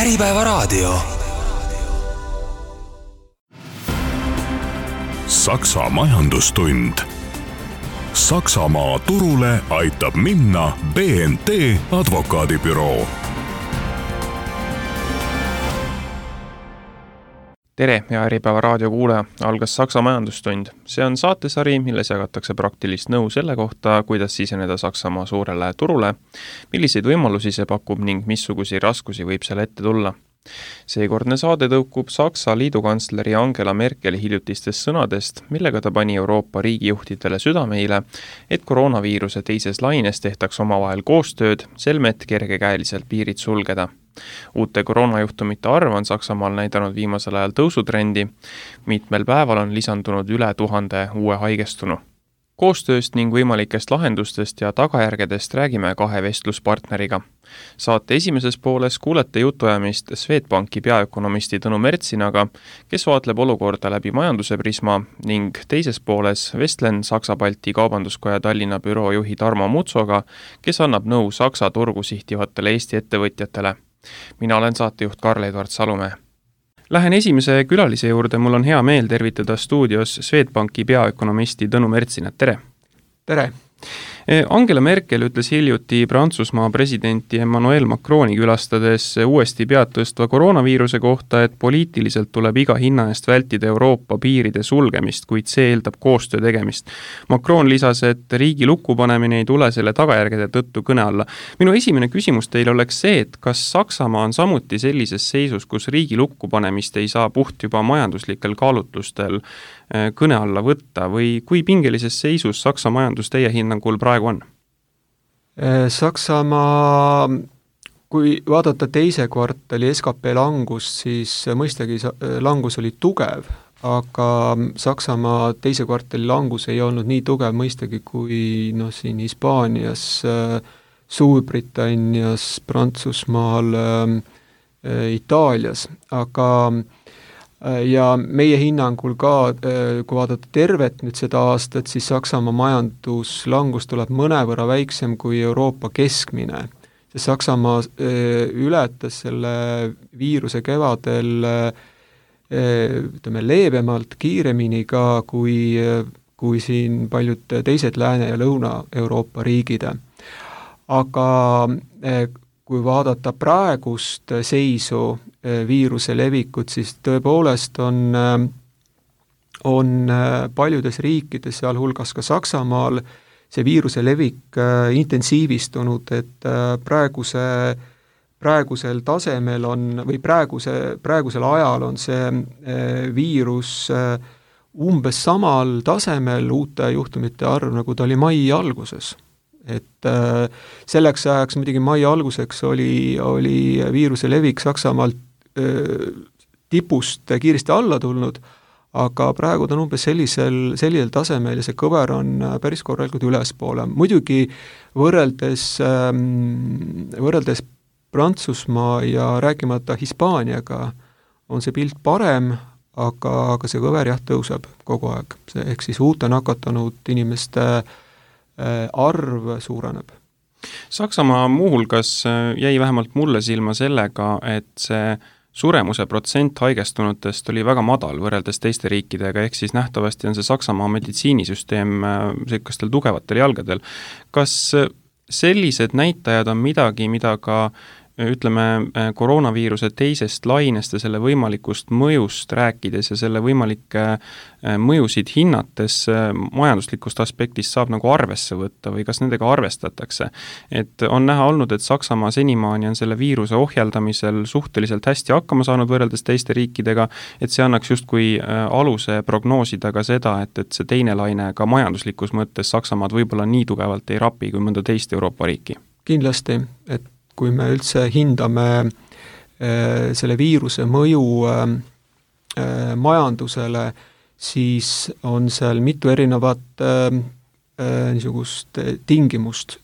Äripäevaraadio. Saksa majandustund. Saksamaa turule aitab minna BNT advokaadibüroo. Tere ja Äripäeva raadio kuulaja, algas Saksa majandustund. See on saatesari, milles jagatakse praktilist nõu selle kohta, kuidas siseneda Saksamaa suurele turule, milliseid võimalusi see pakub ning missugusi raskusi võib seal ette tulla. Seekordne saade tõukub Saksa liidukantsleri Angela Merkeli hiljutistest sõnadest, millega ta pani Euroopa riigijuhtidele südameile, et koroonaviiruse teises laines tehtaks omavahel koostööd, selmet kergekäeliselt piirid sulgeda. Uute koroonajuhtumite arv on Saksamaal näidanud viimasel ajal tõusutrendi. Mitmel päeval on lisandunud üle 1000 uue haigestunu. Koostööst ning võimalikest lahendustest ja tagajärgedest räägime kahe vestluspartneriga. Saate esimeses pooles kuulete jutuajamist Swedbanki peaökonomisti Tõnu Mertsinaga, kes vaatleb olukorda läbi majanduse prisma, ning teises pooles vestlen Saksa-Balti Kaubanduskoja Tallinna büroo juhi Tarmo Mutsoga, kes annab nõu Saksa turgu sihtivatele Eesti ettevõtjatele. Mina olen saatejuht Karl-Edvard Salumäe. Lähen esimese külalise juurde, mul on hea meel tervitada stuudios Swedbanki peaökonomisti Tõnu Mertsinat, tere! Tere! Angela Merkel ütles hiljuti Prantsusmaa presidenti Emmanuel Macroni külastades uuesti pead tõstva koroonaviiruse kohta, et poliitiliselt tuleb iga hinna eest vältida Euroopa piiride sulgemist, kuid see eeldab koostöö tegemist. Macron lisas, et riigi lukku panemine ei tule selle tagajärgede tõttu kõne alla. Minu esimene küsimus teile oleks see, et kas Saksamaa on samuti sellises seisus, kus riigi lukku panemist ei saa puht juba majanduslikel kaalutlustel kõne alla võtta või kui pingelises seisus Saksa majandus teie hinnangul praegu on? Saksamaa, kui vaadata teise kvartali SKP langust, siis mõistagi langus oli tugev, aga Saksamaa teise kvartali langus ei olnud nii tugev mõistagi kui siin Hispaanias, Suurbritannias, Prantsusmaal, Itaalias, aga ja meie hinnangul ka, kui vaadata tervet nüüd seda aastat, siis Saksamaa majanduslangus tuleb mõnevõrra väiksem kui Euroopa keskmine. Saksamaa ületas selle viiruse kevadel leebemalt, kiiremini ka kui siin paljud teised Lääne- ja Lõuna-Euroopa riigid. Aga kui vaadata praegust seisu viiruse levikut, siis tõepoolest on paljudes riikides, sealhulgas ka Saksamaal, see viiruse levik intensiivistunud, et praegusel tasemel on, või praegusel ajal on see viirus umbes samal tasemel uute juhtumite arv, nagu ta oli mai alguses. Et selleks ajaks muidugi mai alguseks oli viiruse levik Saksamaalt tipust kiiresti alla tulnud, aga praegu ta on umbes sellisel tasemel ja see kõver on päris korralikult ülespoole. Muidugi võrreldes Prantsusmaa ja rääkimata Hispaaniaga on see pilt parem, aga see kõver tõuseb kogu aeg. Ehk siis uute nakatanud inimeste arv suureneb. Saksamaa muuhulgas jäi vähemalt mulle silma sellega, et see suremuse protsent haigestunutest oli väga madal võrreldes teiste riikidega, ehk siis nähtavasti on see Saksamaa meditsiinisüsteem sellistel tugevatel jalgadel. Kas sellised näitajad on midagi, mida ka koroonaviiruse teisest lainest ja selle võimalikust mõjust rääkides ja selle võimalikke mõjusid hinnates majanduslikust aspektist saab nagu arvesse võtta või kas nendega arvestatakse? Et on näha olnud, et Saksamaa senimaani on selle viiruse ohjeldamisel suhteliselt hästi hakkama saanud võrreldes teiste riikidega, et see annaks justkui aluse prognoosida ka seda, et see teine laine ka majanduslikus mõttes Saksamaad võib-olla nii tugevalt ei rapi kui mõnda teist Euroopa riiki. Kindlasti, et kui me üldse hindame selle viiruse mõju majandusele, siis on seal mitu erinevat niisugust tingimust.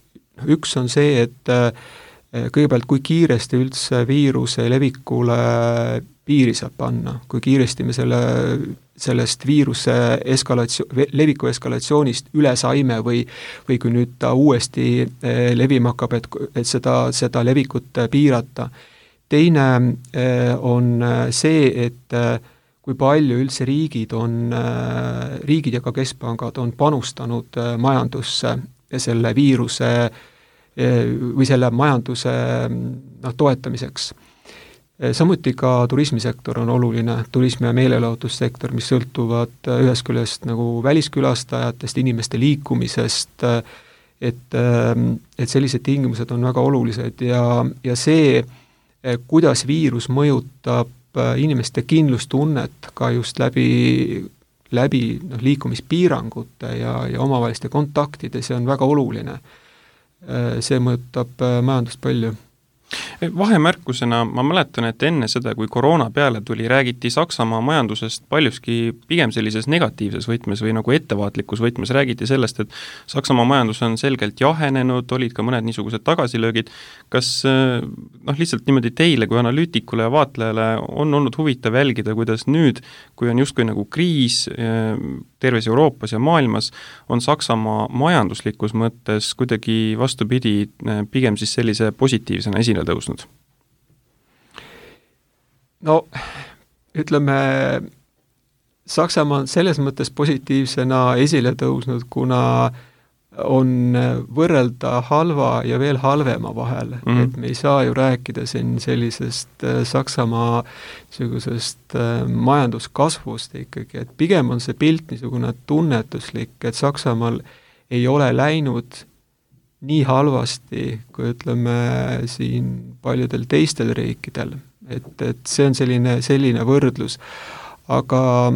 Üks on see, et kõigepealt kui kiiresti üldse viiruse levikule piiri saab panna, kui kiiresti me sellest viiruse leviku eskalatsioonist üle saime või kui nüüd ta uuesti levima hakkab, et seda levikut piirata. teine on see, et kui palju üldse riigid ja ka keskpangad on panustanud majandusse ja selle viiruse või selle majanduse toetamiseks. Samuti ka turismisektor on oluline, turismi- ja meelelahutussektor, mis sõltuvad ühest küljest nagu väliskülastajatest, inimeste liikumisest, et sellised tingimused on väga olulised ja see, kuidas viirus mõjutab inimeste kindlustunnet ka just läbi liikumispiirangute ja omavaheliste kontaktide, see on väga oluline. See mõjutab majandust palju. Vahemärkusena ma mäletan, et enne seda, kui koroona peale tuli, räägiti Saksamaa majandusest paljuski pigem sellises negatiivses võtmes või nagu ettevaatlikus võtmes, räägiti sellest, et Saksamaa majandus on selgelt jahenenud, olid ka mõned niisugused tagasilöögid. Kas lihtsalt niimoodi teile kui analüütikule ja vaatlejale on olnud huvitav jälgida, kuidas nüüd, kui on justkui nagu kriis terves Euroopas ja maailmas, on Saksamaa majanduslikus mõttes kuidagi vastupidi pigem siis sellise positiivsena esile tõusnud? No ütleme, Saksamaa on selles mõttes positiivsena esile tõusnud, kuna on võrrelda halva ja veel halvema vahel, et me ei saa ju rääkida siin sellisest Saksamaa niisugusest majanduskasvust ikkagi, et pigem on see pilt niisugune tunnetuslik, et Saksamaal ei ole läinud nii halvasti, kui ütleme siin paljudel teistel riikidel, et see on selline võrdlus, aga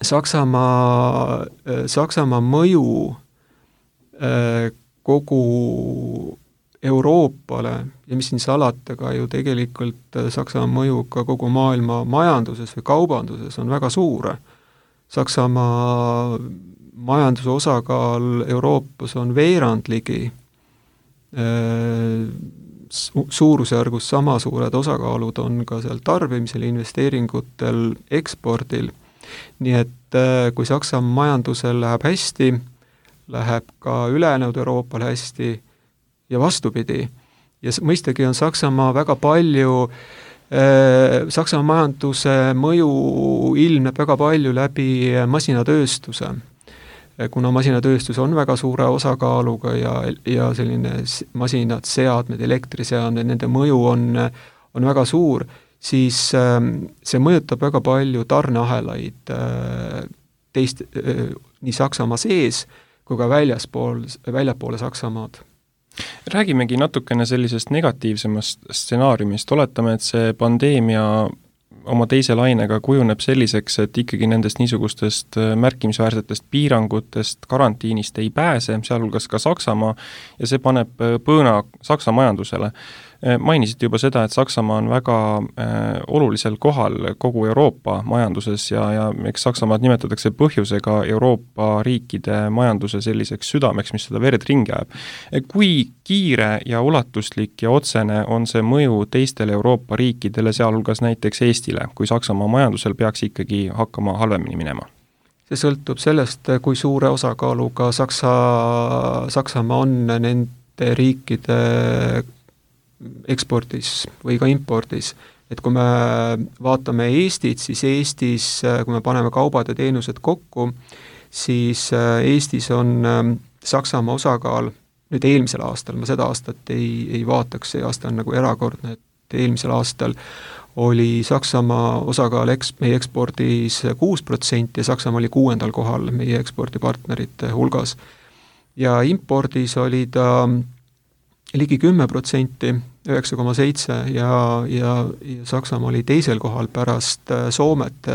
Saksamaa mõju kogu Euroopale ja mis siin salata ka ju tegelikult Saksamaa mõju ka kogu maailma majanduses või kaubanduses on väga suur. Saksamaa majanduse osakaal Euroopas on veerand ligi, suurusjärgus sama suured osakaalud on ka seal tarbimisel, investeeringutel, ekspordil, nii et kui Saksamaa majandusel läheb hästi, läheb ka ülejäänud Euroopal hästi ja vastupidi. Ja mõistagi on Saksamaa väga palju, Saksamaa majanduse mõju ilmneb väga palju läbi masinatööstuse. Kuna masinatööstus on väga suure osakaaluga ja selline masinad, seadmed, elektriseadmed, nende mõju on väga suur, siis see mõjutab väga palju tarneahelaid nii Saksamaa sees, kui ka väljapoole Saksamaad. Räägimegi natukene sellisest negatiivsemast stsenaariumist, oletame, et see pandeemia oma teise lainega kujuneb selliseks, et ikkagi nendest niisugustest märkimisväärsetest piirangutest, karantiinist ei pääse, sealhulgas ka Saksamaa, ja see paneb põõna Saksa majandusele. Mainisite juba seda, et Saksamaa on väga olulisel kohal kogu Euroopa majanduses ja eks Saksamaad nimetatakse põhjusega Euroopa riikide majanduse selliseks südameks, mis seda verd ringi ajab. Kui kiire ja ulatuslik ja otsene on see mõju teistele Euroopa riikidele, sealhulgas näiteks Eestile, kui Saksamaa majandusel peaks ikkagi hakkama halvemini minema? See sõltub sellest, kui suure osakaaluga Saksamaa on nende riikide ekspordis või ka impordis. Et kui me vaatame Eestit, siis Eestis, kui me paneme kaubad ja teenused kokku, siis Eestis on Saksamaa osakaal, nüüd eelmisel aastal, ma seda aastat ei vaataks, see aasta on nagu erakordne, et eelmisel aastal oli Saksamaa osakaal meie ekspordis 6% ja Saksamaa oli 6. kohal meie ekspordipartnerite hulgas. Ja impordis oli ta ligi 10%, 9,7 ja Saksamaa oli teisel kohal pärast Soomet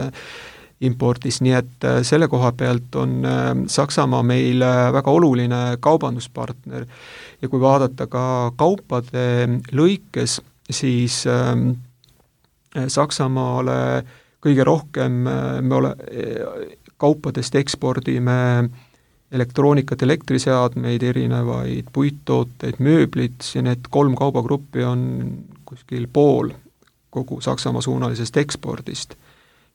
impordis, nii et selle koha pealt on Saksamaa meil väga oluline kaubanduspartner ja kui vaadata ka kaupade lõikes, siis Saksamaale kõige rohkem kaupadest ekspordime elektroonikat, elektriseadmeid, erinevaid puittooteid, mööblit ja need 3 kaubagruppi on kuskil pool kogu Saksamaa suunalisest ekspordist.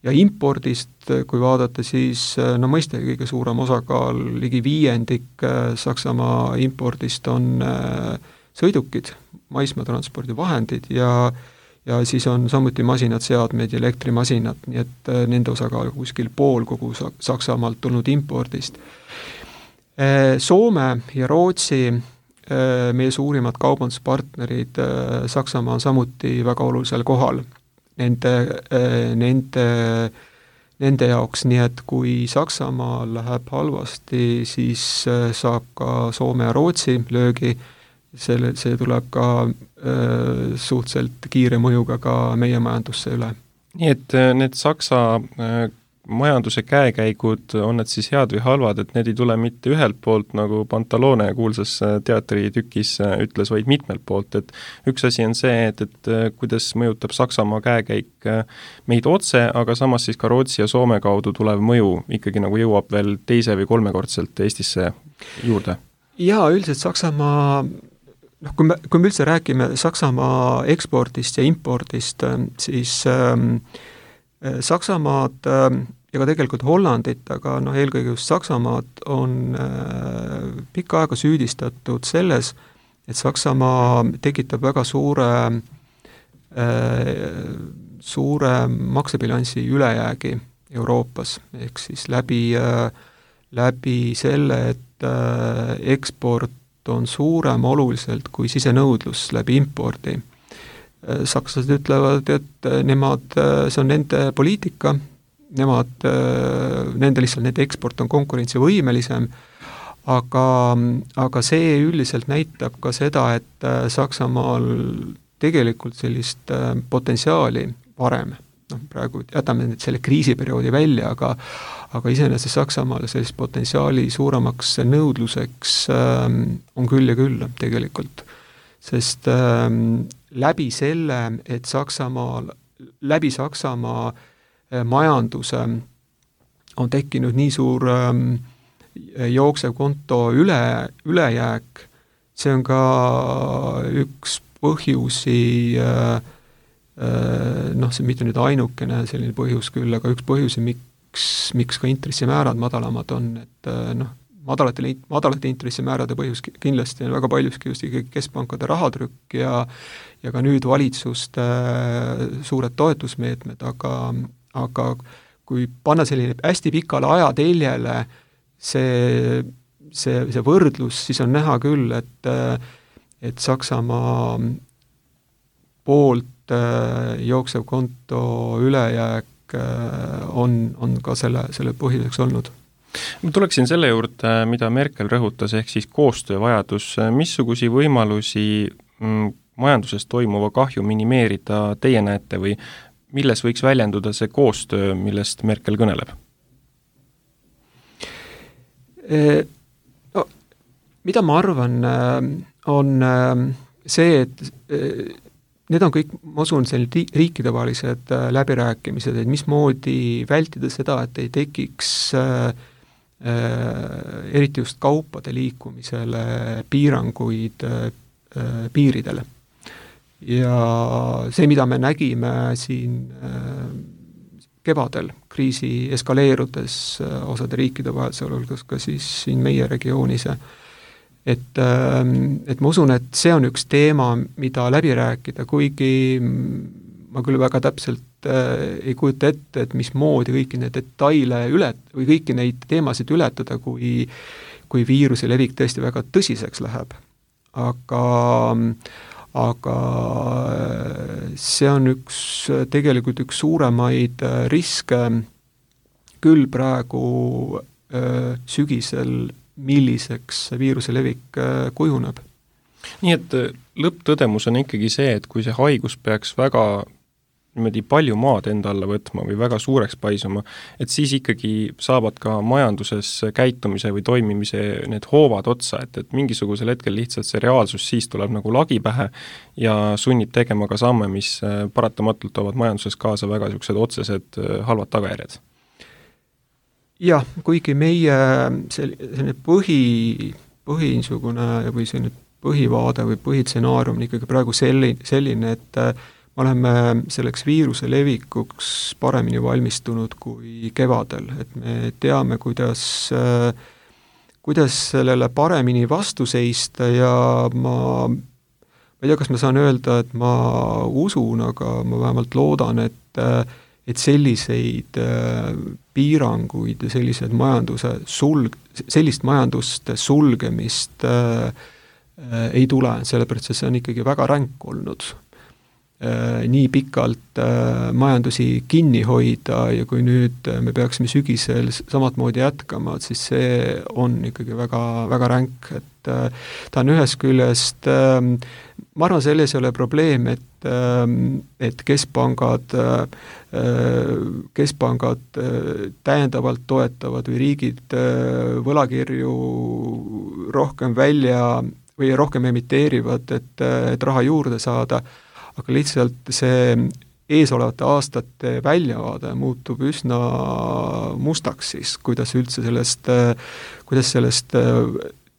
Ja impordist, kui vaadata, siis mõistagi kõige suurem osakaal, ligi 5% Saksamaa impordist on sõidukid, maismaatranspordivahendid ja ja siis on samuti masinad, seadmed ja elektrimasinad, nii et nende osakaal kuskil pool kogu Saksamaalt tulnud impordist. Soome ja Rootsi, meie suurimad kaubanduspartnerid, Saksamaa on samuti väga olulisel kohal nende jaoks, nii et kui Saksamaal läheb halvasti, siis saab ka Soome ja Rootsi löögi, see tuleb ka suhteliselt kiire mõjuga ka meie majandusse üle. Nii et need Saksa majanduse käekäigud, on need siis head või halvad, et need ei tule mitte ühelt poolt, nagu Pantalone kuulsas teatritükis ütles, vaid mitmelt poolt, et üks asi on see, et kuidas mõjutab Saksamaa käekäik meid otse, aga samas siis ka Rootsi ja Soome kaudu tulev mõju ikkagi nagu jõuab veel teise või kolmekordselt Eestisse juurde. Jaa, üldiselt Saksamaa, kui me üldse räägime Saksamaa ekspordist ja impordist, siis Saksamaad ja ka tegelikult Hollandit, aga eelkõige just Saksamaad on pikka aega süüdistatud selles, et Saksamaa tekitab väga suure maksebilansi ülejäägi Euroopas, ehk siis läbi selle, et eksport on suurem oluliselt kui sisenõudlus läbi impordi. Sakslased ütlevad, et see on nende poliitika, nende eksport on konkurentsivõimelisem, aga see üldiselt näitab ka seda, et Saksamaal tegelikult sellist potentsiaali varem, praegu jätame nüüd selle kriisiperioodi välja, aga iseenesest Saksamaal sellist potentsiaali suuremaks nõudluseks on küll ja küll tegelikult, sest läbi selle, et läbi Saksamaa majanduse on tekkinud nii suur jooksev konto ülejääk, see on ka üks põhjusi, see mitte nüüd ainukene selline põhjus küll, aga üks põhjusi, miks ka intressimäärad madalamad on, et madalate intressimäärade põhjus kindlasti on väga paljuski just ikkagi keskpankade rahatrükk ja ka nüüd valitsuste suured toetusmeetmed, aga kui panna selline hästi pikale ajateljele see võrdlus, siis on näha küll, et Saksamaa poolt jooksev konto ülejääk on ka selle põhjuseks olnud. Ma tuleksin selle juurde, mida Merkel rõhutas, ehk siis koostöövajadus. Missugusi võimalusi majanduses toimuva kahju minimeerida teie näete või milles võiks väljenduda see koostöö, millest Merkel kõneleb? Mida ma arvan, on see, et need on kõik, ma usun, riikidevahelised läbirääkimised, et mismoodi vältida seda, et ei tekiks eriti just kaupade liikumisele piiranguid piiridele. Ja see, mida me nägime siin kevadel kriisi eskaleerudes osade riikide vahel, sealhulgas ka siis siin meie regioonis, et ma usun, et see on üks teema, mida läbi rääkida, kuigi ma küll väga täpselt ei kujuta ette, et mismoodi kõiki neid detaile või kõiki neid teemasid ületada, kui viiruse levik tõesti väga tõsiseks läheb. Aga see on tegelikult üks suuremaid riske küll praegu sügisel, milliseks viiruse levik kujuneb. Nii et lõpptõdemus on ikkagi see, et kui see haigus peaks väga niimoodi palju maad enda alla võtma või väga suureks paisuma, et siis ikkagi saavad ka majanduses käitumise või toimimise need hoovad otsa, et mingisugusel hetkel lihtsalt see reaalsus siis tuleb nagu lagi pähe ja sunnib tegema ka samme, mis paratamatult toovad majanduses kaasa väga niisugused otsesed halvad tagajärjed. Jah, kuigi meie selline põhinsugune või selline põhivaade või põhitsenaarium on ikkagi praegu selline, et me oleme selleks viiruse levikuks paremini valmistunud kui kevadel, et me teame, kuidas sellele paremini vastu seista ja ma ma ei tea, kas ma saan öelda, et ma usun, aga ma vähemalt loodan, et selliseid piiranguid ja sellised sellist majanduste sulgemist ei tule, sellepärast see on ikkagi väga ränk olnud. Nii pikalt majandusi kinni hoida ja kui nüüd me peaksime sügisel samatmoodi jätkama, siis see on ikkagi väga, väga ränk, et ta on ühest küljest, ma arvan, selles ei ole probleem, et keskpangad täiendavalt toetavad või riigid võlakirju rohkem välja või rohkem emiteerivad, et raha juurde saada, aga lihtsalt see eesolevate aastate väljavaade muutub üsna mustaks siis, kuidas üldse sellest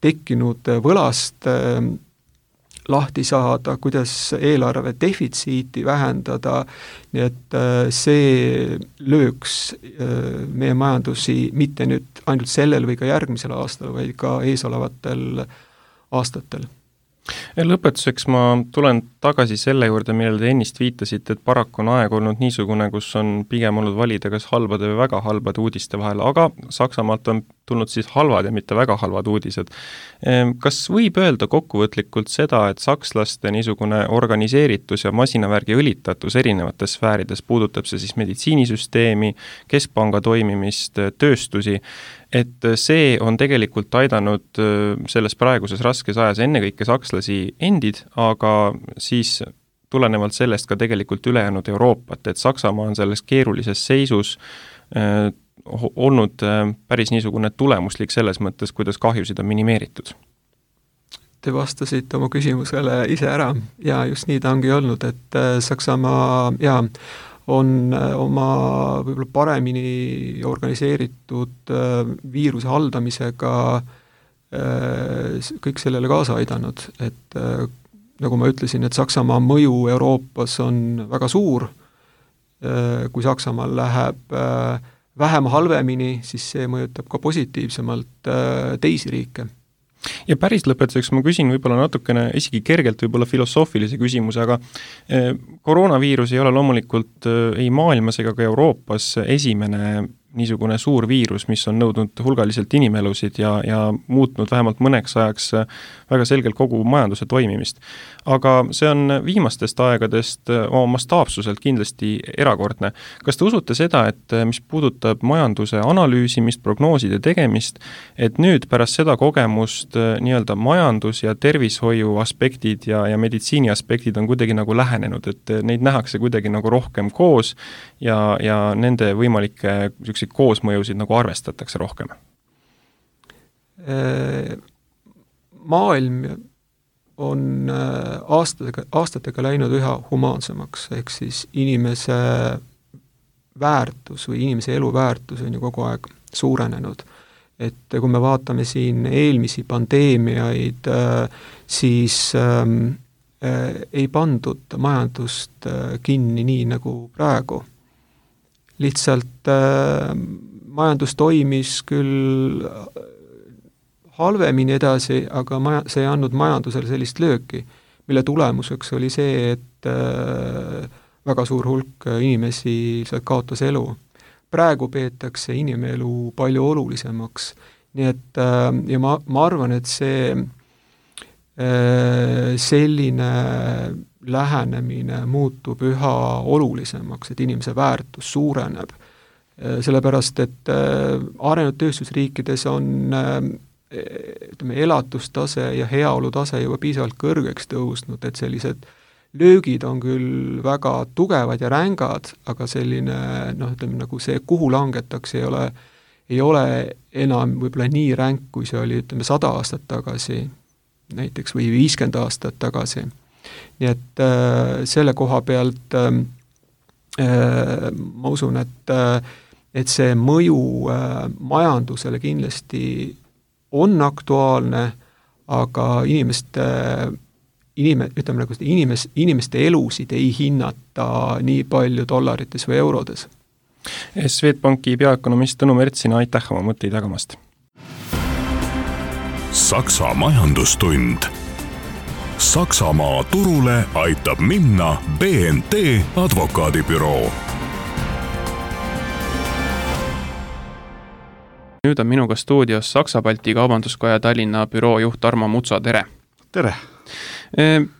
tekkinud võlast lahti saada, kuidas eelarve defitsiiti vähendada, nii et see lööks meie majandusi mitte nüüd ainult sellel või ka järgmisel aastal, vaid ka eesolevatel aastatel. Lõpetuseks ma tulen tagasi selle juurde, millele te ennist viitasite, et paraku on aeg olnud niisugune, kus on pigem olnud valida kas halbade või väga halbade uudiste vahel, aga Saksamaalt on tulnud siis halvad ja mitte väga halvad uudised. Kas võib öelda kokkuvõtlikult seda, et sakslaste niisugune organiseeritus ja masinavärgi õlitatus erinevates sfäärides, puudutab see siis meditsiinisüsteemi, keskpanga toimimist, tööstusi, et see on tegelikult aidanud selles praeguses raskes ajas ennekõike sakslasi endid, aga siis tulenevalt sellest ka tegelikult ülejäänud Euroopat, et Saksamaa on selles keerulises seisus olnud päris niisugune tulemuslik selles mõttes, kuidas kahjusid on minimeeritud. Te vastasite oma küsimusele ise ära ja just nii ta ongi olnud, et Saksamaa on oma võib-olla paremini organiseeritud viiruse haldamisega kõik sellele kaasa aidanud, et nagu ma ütlesin, et Saksamaa mõju Euroopas on väga suur, kui Saksamaal läheb vähem halvemini, siis see mõjutab ka positiivsemalt teisi riike. Ja päris lõpetuseks ma küsin võib-olla natukene isegi kergelt võib-olla filosoofilise küsimuse, aga koroonaviirus ei ole loomulikult ei maailmas ega ka Euroopas esimene niisugune suur viirus, mis on nõudnud hulgaliselt inimelusid ja muutnud vähemalt mõneks ajaks väga selgelt kogu majanduse toimimist. Aga see on viimastest aegadest oma mastaapsuselt kindlasti erakordne. Kas te usute seda, et mis puudutab majanduse analüüsimist, prognooside tegemist, et nüüd pärast seda kogemust nii-öelda majandus- ja tervishoiu aspektid ja meditsiini aspektid on kuidagi nagu lähenenud, et neid nähakse kuidagi nagu rohkem koos ja nende võimalikke koosmõjusid nagu arvestatakse rohkem? Maailm on aastatega läinud üha humaansemaks, ehk siis inimese väärtus või inimese elu väärtus on ju kogu aeg suurenenud. Et kui me vaatame siin eelmisi pandeemiaid, siis ei pandud majandust kinni nii nagu praegu. Lihtsalt majandus toimis küll halvemini edasi, aga see ei andnud majandusele sellist lööki, mille tulemuseks oli see, et väga suur hulk inimesi kaotas elu. Praegu peetakse inimelu palju olulisemaks. Nii et, ja ma arvan, et see selline lähenemine muutub üha olulisemaks, et inimese väärtus suureneb. Sellepärast, et arenenud tööstusriikides on elatustase ja heaolutase juba piisavalt kõrgeks tõusnud, et sellised löögid on küll väga tugevad ja rängad, aga selline, nagu see, kuhu langetakse, ei ole enam võib-olla nii ränk, kui see oli, 100 aastat tagasi näiteks või 50 aastat tagasi. Nii et selle koha pealt ma usun, et see mõju majandusele kindlasti on aktuaalne, aga inimeste elusid ei hinnata nii palju dollarites või eurodes. Swedbanki peaökonomist Tõnu Mertsina, aitäh oma mõtteid jagamast. Saksa majandustund. Saksamaa turule aitab minna BNT advokaadibüroo. Nüüd on minuga stuudios Saksa-Balti Kaubanduskoja Tallinna büroo juht Tarmo Mutsa, tere! Tere!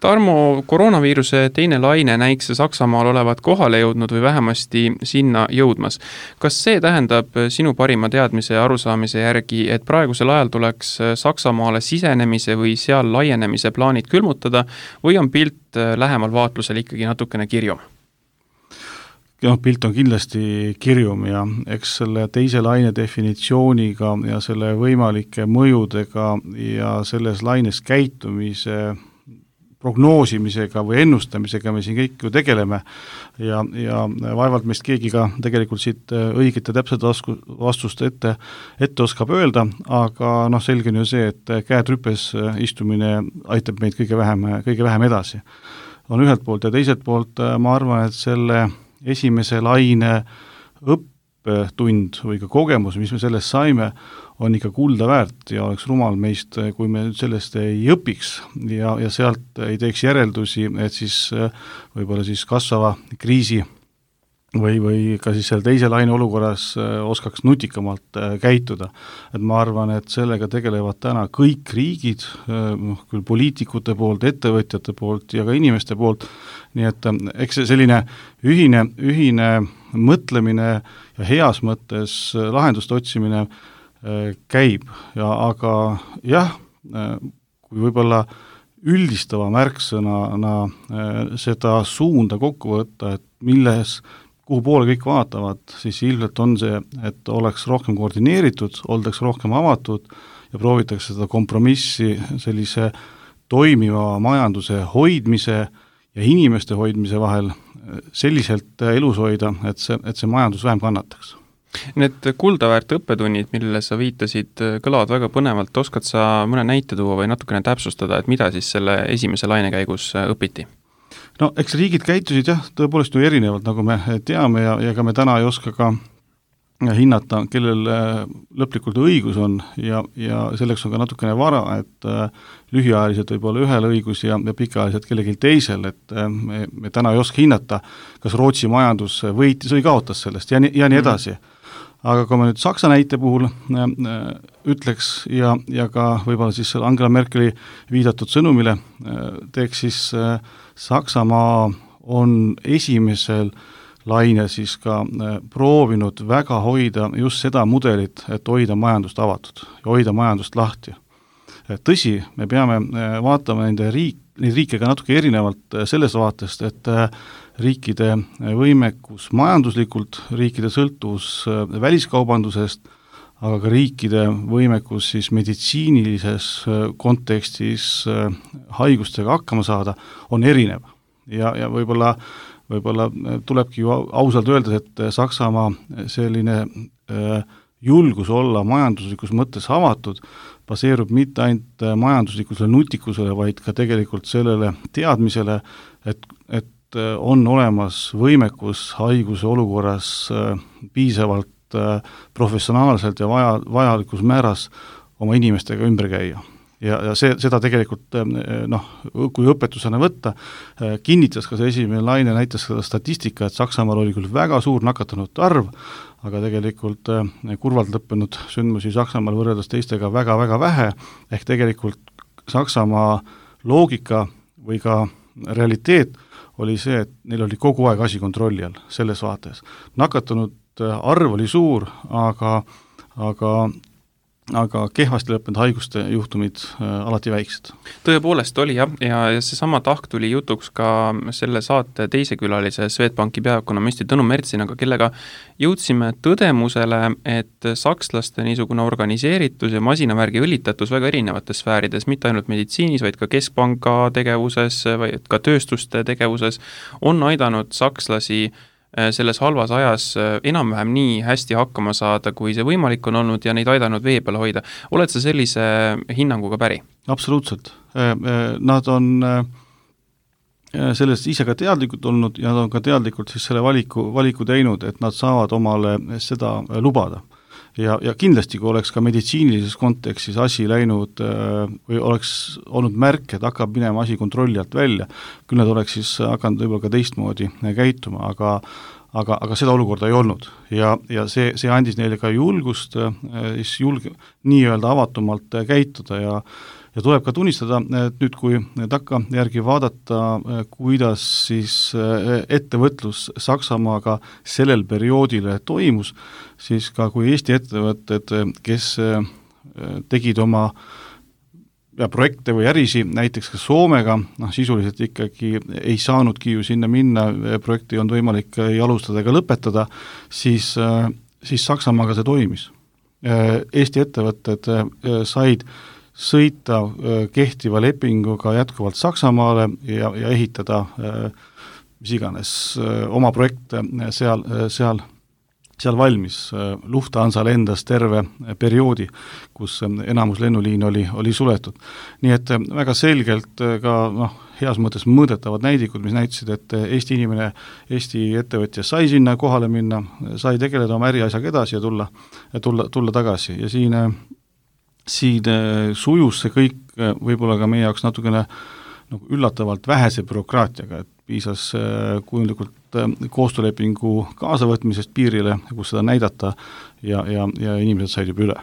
Tarmo, koroonaviiruse teine laine näikse Saksamaal olevat kohale jõudnud või vähemasti sinna jõudmas. Kas see tähendab sinu parima teadmise ja arusaamise järgi, et praegusel ajal tuleks Saksamaale sisenemise või seal laienemise plaanid külmutada või on pilt lähemal vaatlusel ikkagi natukene kirjum? Pilt on kindlasti kirjum ja eks selle teise laine definitsiooniga ja selle võimalike mõjudega ja selles laines käitumise prognoosimisega või ennustamisega me siin kõik ju tegeleme ja vaevalt meist keegi ka tegelikult siit õiget ja täpset vastust ette oskab öelda, aga selge on ju see, et käed rüpes istumine aitab meid kõige vähem edasi. On ühelt poolt ja teiselt poolt ma arvan, et selle esimese laine õppetund või ka kogemus, mis me sellest saime, on ikka kulda väärt ja oleks rumal meist, kui me sellest ei õpiks ja sealt ei teeks järeldusi, et siis võib-olla siis kasvava kriisi või ka siis selle teise laine olukorras oskaks nutikamalt käituda. Et ma arvan, et sellega tegelevad täna kõik riigid, küll poliitikute poolt, ettevõtjate poolt ja ka inimeste poolt, nii et eks see selline ühine mõtlemine ja heas mõttes lahenduste otsimine käib, aga jah, kui võib-olla üldistava märksõnana seda suunda kokku võtta, et kuhu poole kõik vaatavad, siis ilmselt on see, et oleks rohkem koordineeritud, oldaks rohkem avatud ja proovitakse seda kompromissi sellise toimiva majanduse hoidmise ja inimeste hoidmise vahel selliselt elus hoida, et see majandus vähem kannataks. Need kuldaväärt õppetunnid, millele sa viitasid, kõlavad väga põnevalt. Oskad sa mõne näite tuua või natukene täpsustada, et mida siis selle esimese laine käigus õpiti? Eks riigid käitusid tõepoolest ju erinevalt, nagu me teame ja ka me täna ei oska ka hinnata, kellel lõplikult õigus on ja selleks on ka natukene vara, et lühiajaliselt võib olla ühel õigus ja pikaajaliselt kellelgi teisel, et me täna ei oska hinnata, kas Rootsi majandus võitis või kaotas sellest ja nii edasi. Aga kui me nüüd Saksa näite puhul ütleks ja ka võib-olla siis Angela Merkeli viidatud sõnumile teeks, siis Saksamaa on esimesel laine siis ka proovinud väga hoida just seda mudelit, et hoida majandust avatud ja hoida majandust lahti. Tõsi, me peame vaatama neid riike ka natuke erinevalt sellest vaatest, et riikide võimekus majanduslikult, riikide sõltuvus väliskaubandusest, aga ka riikide võimekus siis meditsiinilises kontekstis haigustega hakkama saada on erinev ja võib-olla tulebki ju ausalt öelda, et Saksamaa selline julgus olla majanduslikus mõttes avatud baseerub mitte ainult majanduslikusele nutikusele, vaid ka tegelikult sellele teadmisele, et on olemas võimekus haiguse olukorras piisavalt professionaalselt ja vajalikus määras oma inimestega ümber käia. Ja seda tegelikult, kui õpetusena võtta, kinnitas ka see esimene laine, näitas seda statistika, et Saksamaal oli küll väga suur nakatunute arv, aga tegelikult kurvalt lõppenud sündmusi Saksamaal võrreldes teistega väga-väga vähe, ehk tegelikult Saksamaa loogika või ka realiteet oli see, et neil oli kogu aeg asi kontrolli all selles vaates. Nakatunud arv oli suur, aga kehvasti lõppenud haiguste juhtumid alati väiksed. Tõepoolest oli ja seesama tahk tuli jutuks ka selle saate teise külalise Swedbanki peaökonomisti Tõnu Mertsinaga, kellega jõudsime tõdemusele, et sakslaste niisugune organiseeritus ja masinavärgi õlitatus väga erinevates sfäärides, mitte ainult meditsiinis, vaid ka keskpanga tegevuses, vaid ka tööstuste tegevuses, on aidanud sakslasi selles halvas ajas enam-vähem nii hästi hakkama saada, kui see võimalik on olnud ja neid aidanud vee peal hoida. Oled sa sellise hinnanguga päri? Absoluutselt. Nad on sellest ise ka teadlikud olnud ja nad on ka teadlikult siis selle valiku teinud, et nad saavad omale seda lubada. ja kindlasti, kui oleks ka meditsiinilises kontekstis asi läinud või oleks olnud märk, et hakkab minema asi kontrolli alt välja, küll nad oleks siis hakanud võib-olla ka teistmoodi käituma, aga seda olukorda ei olnud ja see andis neile ka julgust nii-öelda avatumalt käituda ja tuleb ka tunnistada, et nüüd, kui takkajärgi vaadata, kuidas siis ettevõtlus Saksamaaga sellel perioodil toimus, siis ka kui Eesti ettevõtted, kes tegid oma projekte või ärisi näiteks ka Soomega, sisuliselt ikkagi ei saanudki ju sinna minna, projekti ei olnud võimalik ei alustada ega lõpetada, siis Saksamaaga see toimis. Eesti ettevõtted said sõita kehtiva lepinguga jätkuvalt Saksamaale ja ehitada mis iganes oma projekte seal valmis. Lufthansa lendas terve perioodi, kus enamus lennuliin oli suletud. Nii et väga selgelt ka heas mõttes mõõdetavad näidikud, mis näitasid, et Eesti inimene, Eesti ettevõtja sai sinna kohale minna, sai tegeleda oma äriasjaga edasi ja tulla tagasi ja siin sujus see kõik võib-olla ka meie jaoks natukene üllatavalt vähese bürokraatiaga, et piisas kujundlikult koostöölepingu kaasavõtmisest piirile, kus seda näidata ja inimesed said juba üle.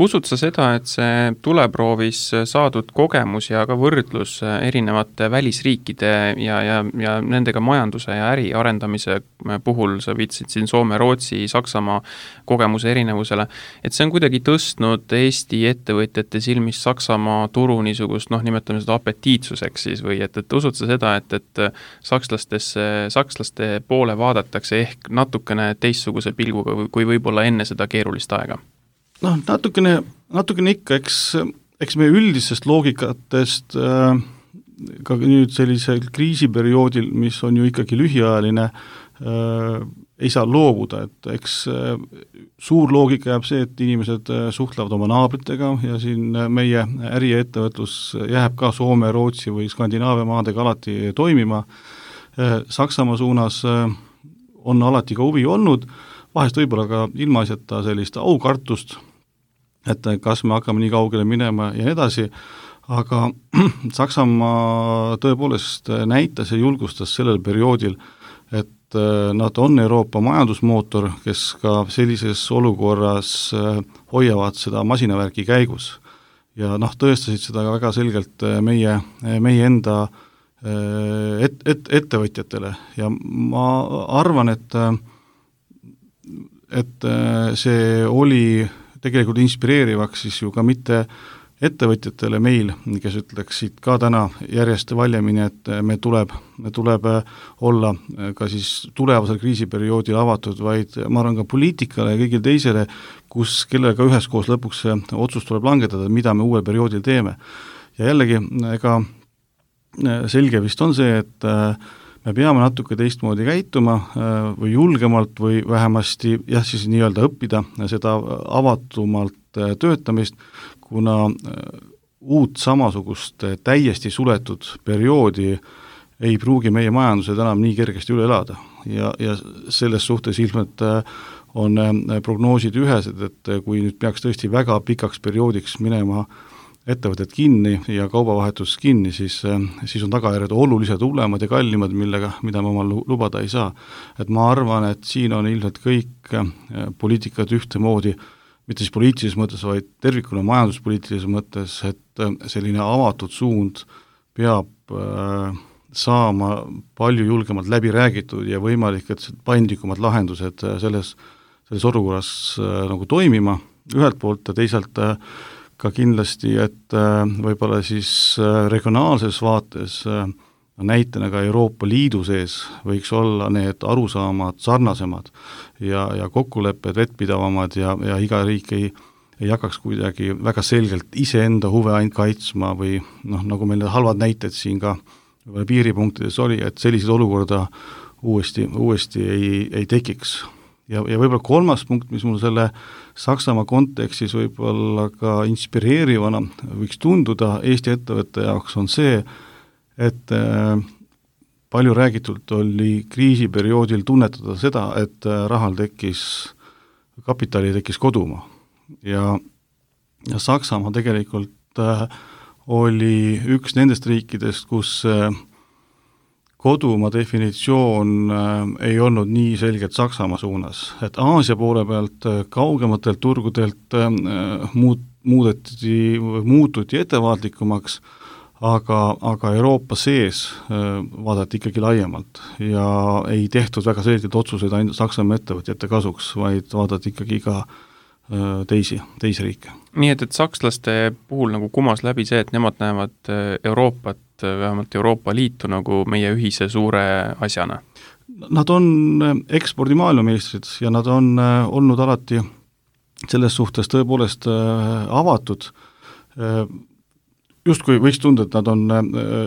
Usud sa seda, et see tuleproovis saadud kogemus ja ka võrdlus erinevate välisriikide ja nendega majanduse ja äri arendamise puhul, sa viitsid siin Soome, Rootsi, Saksamaa kogemuse erinevusele, et see on kuidagi tõstnud Eesti ettevõtjate silmis Saksamaa turu niisugust, nimetame seda apetiitsuseks siis või et usud sa seda, et sakslaste poole vaadatakse ehk natukene teistsuguse pilguga kui võib-olla enne seda keerulist aega? Natukene ikka, eks meie üldisest loogikatest ka nüüd sellisel kriisiperioodil, mis on ju ikkagi lühiajaline, ei saa loobuda, et eks suur loogika jääb see, et inimesed suhtlevad oma naabritega ja siin meie äri ja ettevõtlus jääb ka Soome, Rootsi või Skandinaavia maadega alati toimima. Saksamaa suunas on alati ka huvi olnud, vahest võib-olla ka ilmaasjata sellist aukartust, et kas me hakkame nii kaugele minema ja nii edasi, aga Saksamaa tõepoolest näitas ja julgustas sellel perioodil, et nad on Euroopa majandusmootor, kes ka sellises olukorras hoiavad seda masinavärki käigus. Ja tõestasid seda väga selgelt meie enda ettevõtjatele ja ma arvan, et see oli tegelikult inspireerivaks siis ju ka mitte ettevõtjatele meil, kes ütleksid ka täna järjest valjemini, et me tuleb olla ka siis tulevasel kriisiperioodil avatud, vaid ma arvan ka poliitikale ja kõigil teisele, kellega üheskoos lõpuks see otsus tuleb langetada, mida me uuel perioodil teeme. Ja jällegi, ega selge vist on see, et me peame natuke teistmoodi käituma või julgemalt või vähemasti siis nii-öelda õppida seda avatumalt töötamist, kuna uut samasugust täiesti suletud perioodi ei pruugi meie majandused enam nii kergesti üle elada. Ja selles suhtes ilmselt on prognoosid ühesed, et kui nüüd peaks tõesti väga pikaks perioodiks minema ettevõtted kinni ja kaubavahetus kinni, siis on tagajärjed oluliselt hullemad ja kallimad, mida me omal lubada ei saa. Et ma arvan, et siin on ilmselt kõik poliitikad ühtemoodi, mitte siis poliitilises mõttes, vaid tervikuna majanduspoliitilises mõttes, et selline avatud suund peab saama palju julgemalt läbi räägitud ja võimalik, et paindlikumad lahendused selles olukorras nagu toimima ühelt poolt ja teisalt ka kindlasti, et võib-olla siis regionaalses vaates näitena ka Euroopa Liidu sees võiks olla need arusaamad sarnasemad ja kokkulepped vettpidavamad ja iga riik ei hakkaks kuidagi väga selgelt iseenda huve ainult kaitsma või nagu meil halvad näited siin ka piiripunktides oli, et sellised olukorda uuesti ei tekiks. Ja võib-olla kolmas punkt, mis mul selle Saksamaa kontekstis võib-olla ka inspireerivana võiks tunduda Eesti ettevõtte jaoks on see, et palju räägitult oli kriisiperioodil tunnetada seda, et rahal tekkis kapitali tekkis kodumaa ja Saksamaa tegelikult oli üks nendest riikidest, kus kodumaa definitsioon ei olnud nii selgelt Saksamaa suunas, et Aasia poole pealt kaugematelt turgudelt muututi ettevaatlikumaks, aga Euroopa sees vaadati ikkagi laiemalt ja ei tehtud väga selgelt otsuseid ainult Saksamaa ettevõtjate kasuks, vaid vaadati ikkagi ka teisi riike. Nii et sakslaste puhul nagu kumas läbi see, et nemad näevad Euroopat, vähemalt Euroopa Liitu nagu meie ühise suure asjana? Nad on ekspordi maailmameistrid ja nad on olnud alati selles suhtes tõepoolest avatud. Justkui võiks tunda, et nad on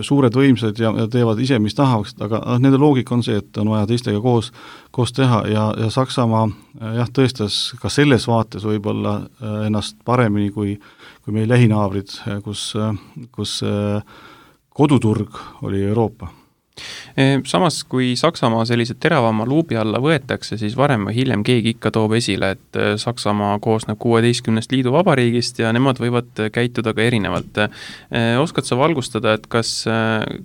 suured võimsad ja teevad ise, mis tahaks, aga nende loogika on see, et on vaja teistega koos teha ja Saksamaa tõestas ka selles vaates võib-olla ennast paremini kui meie lähinaabrid, kus koduturg oli Euroopa. Samas, kui Saksamaa sellise teravama luubi alla võetakse, siis varem või hiljem keegi ikka toob esile, et Saksamaa koosneb 16 liiduvabariigist ja nemad võivad käituda ka erinevalt. Oskad sa valgustada, et kas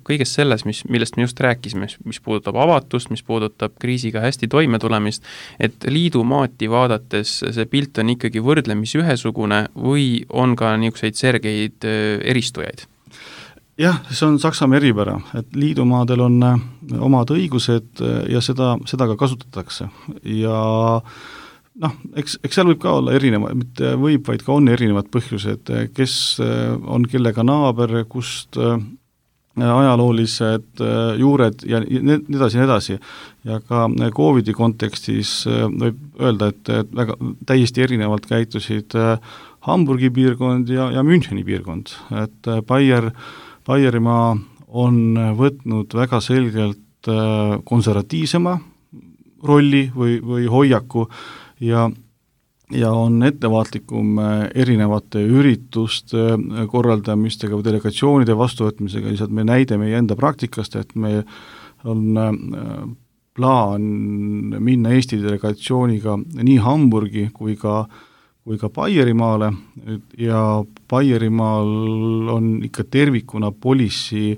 kõiges selles, millest me just rääkisime, mis puudutab avatust, mis puudutab kriisiga hästi toime tulemist, et liidumaati vaadates see pilt on ikkagi võrdlemisi ühesugune või on ka niisuguseid sergeid eristujaid? Jah, see on Saksamaa eripära, et liidumaadel on omad õigused ja seda ka kasutatakse ja eks seal võib ka olla erinevad, mitte võib, vaid ka on erinevad põhjused, kes on kellega naaber, kust ajaloolised juured ja nii edasi. Ja ka COVIDi kontekstis võib öelda, et väga täiesti erinevalt käitusid Hamburgi piirkond ja Müncheni piirkond, et Baierimaa on võtnud väga selgelt konservatiivsema rolli või hoiaku ja on ettevaatlikum erinevate ürituste korraldamistega või delegatsioonide vastuvõtmisega, lihtsalt me näide meie enda praktikast, et me on plaan minna Eesti delegatsiooniga nii Hamburgi kui ka Baierimaale ja Baierimaal on ikka tervikuna policy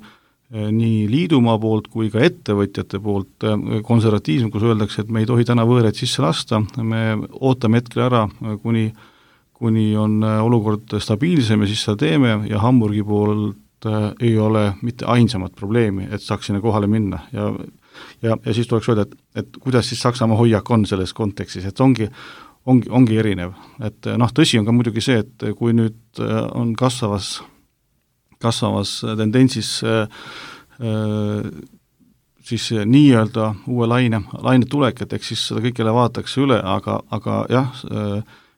nii liidumaa poolt kui ka ettevõtjate poolt konservatiivsem, kus öeldakse, et me ei tohi täna võõreid sisse lasta, me ootame hetkel ära, kuni on olukord stabiilsem ja siis seda teeme ja Hamburgi poolt ei ole mitte ainsamat probleemi, et saaks sinna kohale minna ja siis tuleks öelda, et kuidas siis Saksamaa hoiak on selles kontekstis, et ongi erinev, et tõsi on ka muidugi see, et kui nüüd on kasvavas tendentsis siis nii-öelda uue laine tulek, et eks siis seda kõigele vaadatakse üle, aga jah,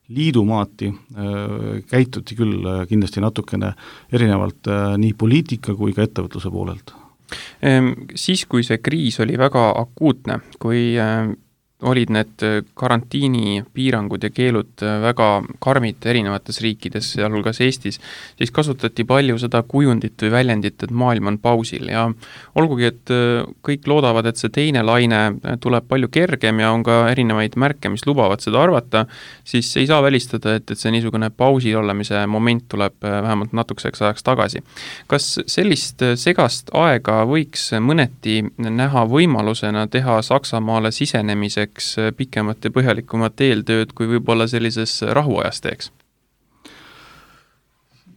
liidumaati käituti küll kindlasti natukene erinevalt nii poliitika kui ka ettevõtluse poolelt. Siis, kui see kriis oli väga akuutne, kui olid need karantiini piirangud ja keelud väga karmid erinevates riikides, sealhulgas Eestis, siis kasutati palju seda kujundit või väljendit, et maailm on pausil ja olgugi, et kõik loodavad, et see teine laine tuleb palju kergem ja on ka erinevaid märke, mis lubavad seda arvata, siis ei saa välistada, et see niisugune pausil olemise moment tuleb vähemalt natukeseks ajaks tagasi. Kas sellist segast aega võiks mõneti näha võimalusena teha Saksamaale sisenemise pikemat ja põhjalikumat eeltööd, kui võib-olla sellises rahuajas teeks?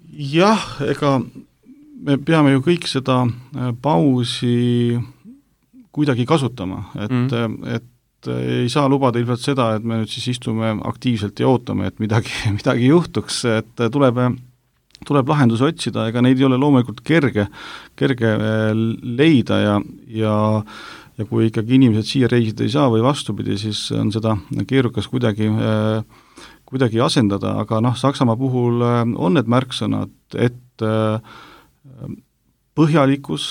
Jah, ega me peame ju kõik seda pausi kuidagi kasutama, et ei saa lubada ilmselt seda, et me nüüd siis istume aktiivselt ja ootame, et midagi juhtuks, et tuleb lahendusi otsida, ega neid ei ole loomulikult kerge leida ja kui ikkagi inimesed siia reisida ei saa või vastupidi, siis on seda keerukas kuidagi asendada, aga Saksamaa puhul on need märksõnad, et põhjalikkus,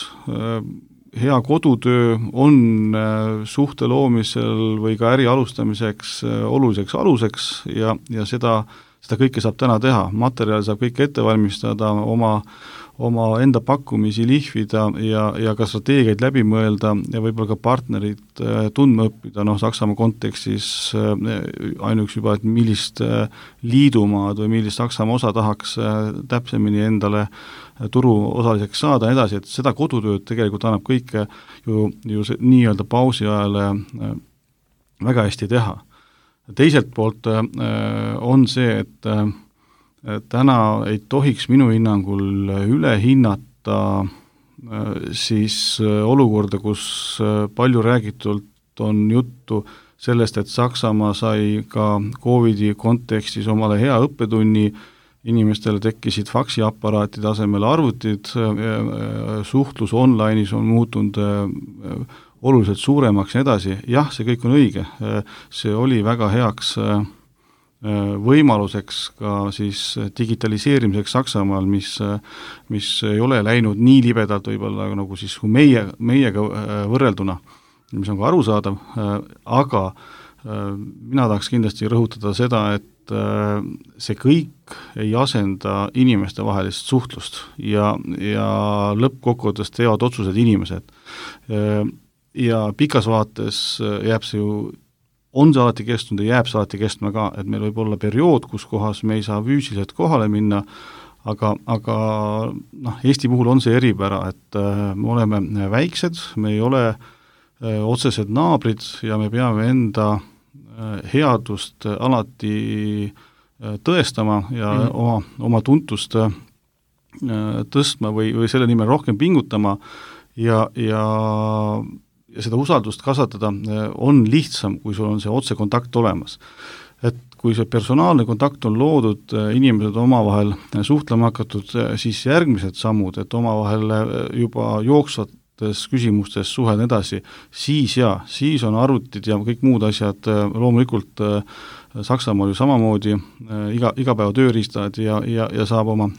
hea kodutöö on suhte loomisel või ka äri alustamiseks oluliseks aluseks ja seda kõike saab täna teha, materjal saab kõik ette valmistada, oma enda pakkumisi lihvida ja ka strateegiaid läbi mõelda ja võib-olla ka partnerid tundma õppida, Saksamaa kontekstis ainuks juba, et millist liidumaad või millist Saksamaa osa tahaks täpsemini endale turuosaliseks saada edasi, et seda kodutööd tegelikult annab kõike ju nii-öelda pausi ajal väga hästi teha. Teiselt poolt on see, et täna ei tohiks minu hinnangul üle hinnata siis olukorda, kus palju räägitult on juttu sellest, et Saksamaa sai ka COVID-i kontekstis omale hea õppetunni, inimestele tekkisid faksiaparaatide asemel arvutid, suhtlus online'is on muutunud oluliselt suuremaks ja edasi. Jah, see kõik on õige. See oli väga heaks võimaluseks ka siis digitaliseerimiseks Saksamaal, mis ei ole läinud nii libedalt võib-olla nagu siis kui meiega võrrelduna, mis on ka arusaadav, aga mina tahaks kindlasti rõhutada seda, et see kõik ei asenda inimeste vahelist suhtlust ja lõppkokkuvõttes teevad otsused inimesed. Ja pikas vaates jääb see ju, on see alati kestnud ja jääb see alati kestma ka, et meil võib olla periood, kus kohas me ei saa füüsiliselt kohale minna, aga Eesti puhul on see eripära, et me oleme väiksed, me ei ole otsesed naabrid ja me peame enda headust alati tõestama ja oma tuntust tõstma või selle nimel rohkem pingutama ja seda usaldust kasvatada on lihtsam, kui sul on see otsekontakt olemas. Et kui see personaalne kontakt on loodud, inimesed omavahel suhtlema hakatud, siis järgmised sammud, et omavahel juba jooksvad küsimustes suhelda edasi, siis on arvutid ja kõik muud asjad loomulikult Saksamaal ju samamoodi igapäeva tööriistad ja saab oma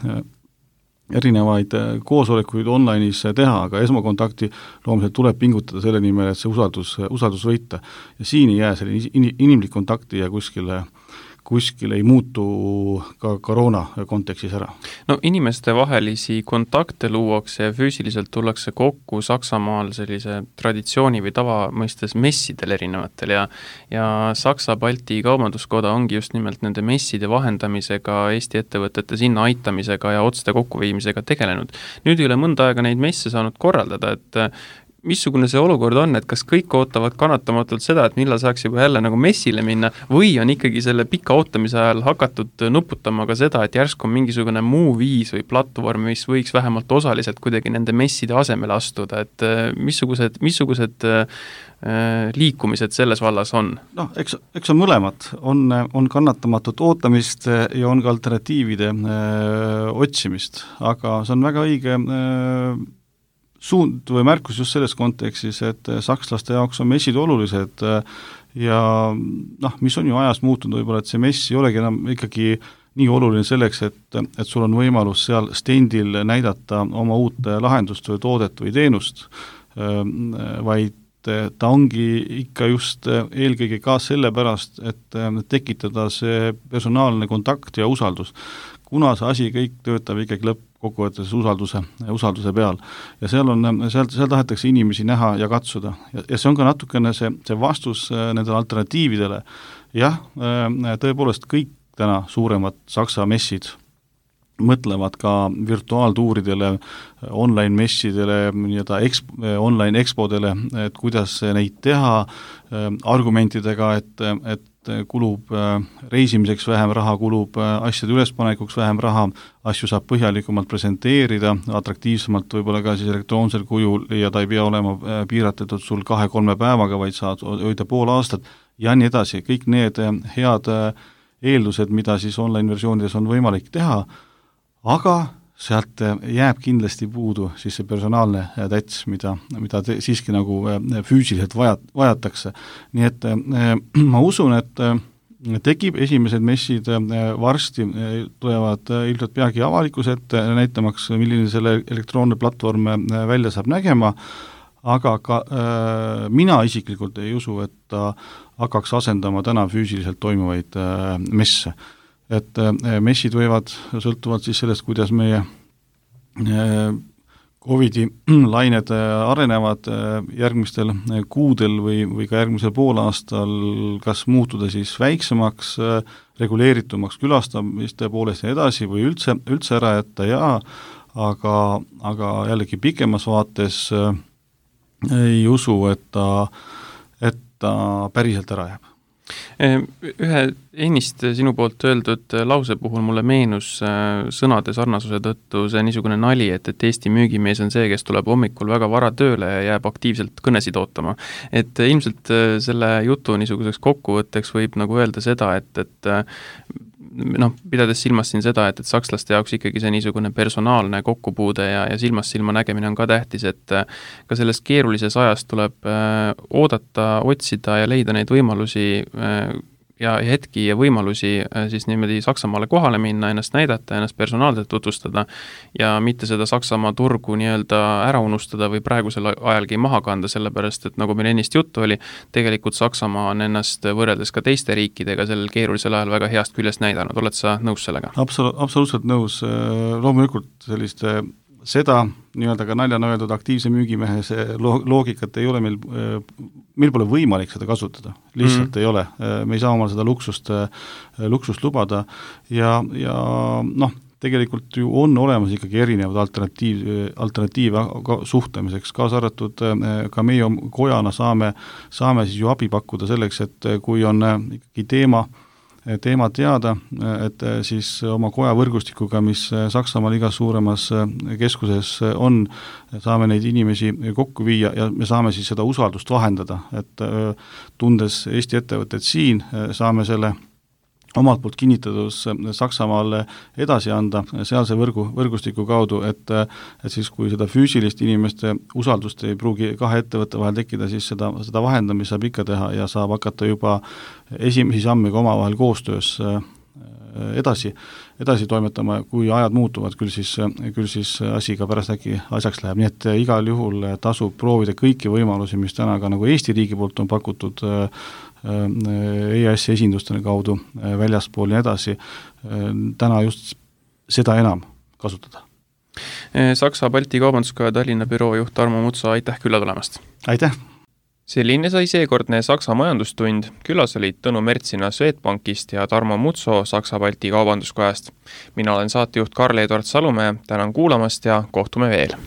erinevaid koosolekuid online'is teha, aga esmakontakti loomulikult tuleb pingutada selle nimel, et see usaldus võita. Ja siin ei jää selline inimlik kontakti ja kuskil ei muutu ka koroona kontekstis ära. No inimeste vahelisi kontakte luuakse ja füüsiliselt tullakse kokku Saksamaal sellise traditsiooni või tava mõistes messidel erinevatel ja Saksa-Balti kaubanduskoda ongi just nimelt nende messide vahendamisega, Eesti ettevõtete sinna aitamisega ja otste kokkuviimisega tegelenud. Nüüd ei ole mõnda aega neid messe saanud korraldada, et missugune see olukord on, et kas kõik ootavad kannatamatult seda, et millal saaks juba jälle nagu messile minna või on ikkagi selle pika ootamise ajal hakatud nuputama ka seda, et järsku on mingisugune muu viis või platvorm, mis võiks vähemalt osaliselt kuidagi nende messide asemele astuda, et missugused liikumised selles vallas on? Eks on mõlemad. On kannatamatut ootamist ja on ka alternatiivide otsimist, aga see on väga õige suund või märkus just selles kontekstis, et sakslaste jaoks on messid olulised ja mis on ju ajast muutunud võib-olla, et see mess ei olegi enam ikkagi nii oluline selleks, et sul on võimalus seal stendil näidata oma uut lahendust või toodet või teenust, vaid ta ongi ikka just eelkõige ka sellepärast, et tekitada see personaalne kontakt ja usaldus. Kuna see asi kõik töötab ikkagi lõppkokkuvõttes usalduse peal. Ja seal tahetakse inimesi näha ja katsuda. Ja see on ka natukene see vastus nendele alternatiividele. Jah, tõepoolest kõik täna suuremad Saksa messid mõtlevad ka virtuaaltuuridele, online-messidele, online expodele, et kuidas neid teha argumentidega, et kulub reisimiseks vähem raha, kulub asjade ülespanekuks vähem raha, asju saab põhjalikumalt presenteerida, atraktiivsemalt võib-olla ka siis elektroonsel kujul ja ta ei pea olema piiratud sul 2-3 päevaga, vaid saad hoida pool aastat ja nii edasi. Kõik need head eeldused, mida siis online-versioonides on võimalik teha, aga sealt jääb kindlasti puudu siis see personaalne täts, mida siiski nagu füüsiliselt vajatakse. Nii et ma usun, et tekib esimesed messid varsti, tulevad ilmselt peagi avalikkuse ette, näitamaks, milline selle elektroonne platvorm välja saab nägema, aga ka mina isiklikult ei usu, et ta hakkaks asendama täna füüsiliselt toimuvaid messe. Et messid võivad sõltuvalt siis sellest, kuidas meie Covidi lained arenevad järgmistel kuudel või ka järgmisel poolaastal kas muutuda siis väiksemaks, reguleeritumaks külastamiste poolest ja edasi või üldse ära jätta aga jällegi pikemas vaates ei usu, et ta päriselt ära jääb. Ühe ennist sinu poolt öeldud lause puhul mulle meenus sõnade sarnasuse tõttu see niisugune nali, et Eesti müügimees on see, kes tuleb hommikul väga vara tööle ja jääb aktiivselt kõnesid ootama. Et ilmselt selle jutu niisuguseks kokkuvõtteks võib nagu öelda seda, et pidades silmas siin seda, et sakslaste jaoks ikkagi see niisugune personaalne kokkupuude ja silmast silma nägemine on ka tähtis, et ka selles keerulises ajas tuleb oodata, otsida ja leida neid võimalusi ja hetki ja võimalusi siis niimoodi Saksamaale kohale minna, ennast näidata, ennast personaalselt tutvustada ja mitte seda Saksamaa turgu nii-öelda ära unustada või praegusel ajalgi maha kanda, sellepärast et nagu meil ennist juttu oli, tegelikult Saksamaa on ennast võrreldes ka teiste riikidega sellel keerulisel ajal väga heast küljest näidanud. Oled sa nõus sellega? Absoluutselt nõus. Loomulikult seda nii-öelda ka naljana öeldud aktiivse müügimehe loogikat ei ole meil pole võimalik seda kasutada, lihtsalt ei ole. Me ei saa omal seda luksust lubada ja tegelikult ju on olemas ikkagi erinevad alternatiive suhtlemiseks, kaasa arvatud ka meie kojana saame siis ju abi pakkuda selleks, et kui on ikkagi teema teada, et siis oma koja võrgustikuga, mis Saksamaal igas suuremas keskuses on, saame neid inimesi kokku viia ja me saame siis seda usaldust vahendada, et tundes Eesti ettevõtted siin, saame selle omalt poolt kinnitatus Saksamaale edasi anda sealse võrgustiku kaudu, et siis kui seda füüsilist inimeste usaldust ei pruugi kahe ettevõtte vahel tekkida, siis seda vahendamist saab ikka teha ja saab hakata juba esimesi samme ka omavahel koostöös edasi toimetama, kui ajad muutuvad, küll siis asi ka pärast äkki asjaks läheb, nii et igal juhul tasub proovida kõiki võimalusi, mis täna ka nagu Eesti riigi poolt on pakutud EAS esindustele kaudu väljaspool ja edasi, täna just seda enam kasutada. Saksa Balti Kaubanduskoja Tallinna büroo juht Tarmo Mutso, aitäh külla tulemast! Aitäh! Selline sai seekordne Saksa majandustund. Külas olid Tõnu Mertsina Swedbankist ja Tarmo Mutso Saksa Balti Kaubanduskojast. Mina olen saatejuht Karl-Edward Salumäe, tänan kuulamast ja kohtume veel!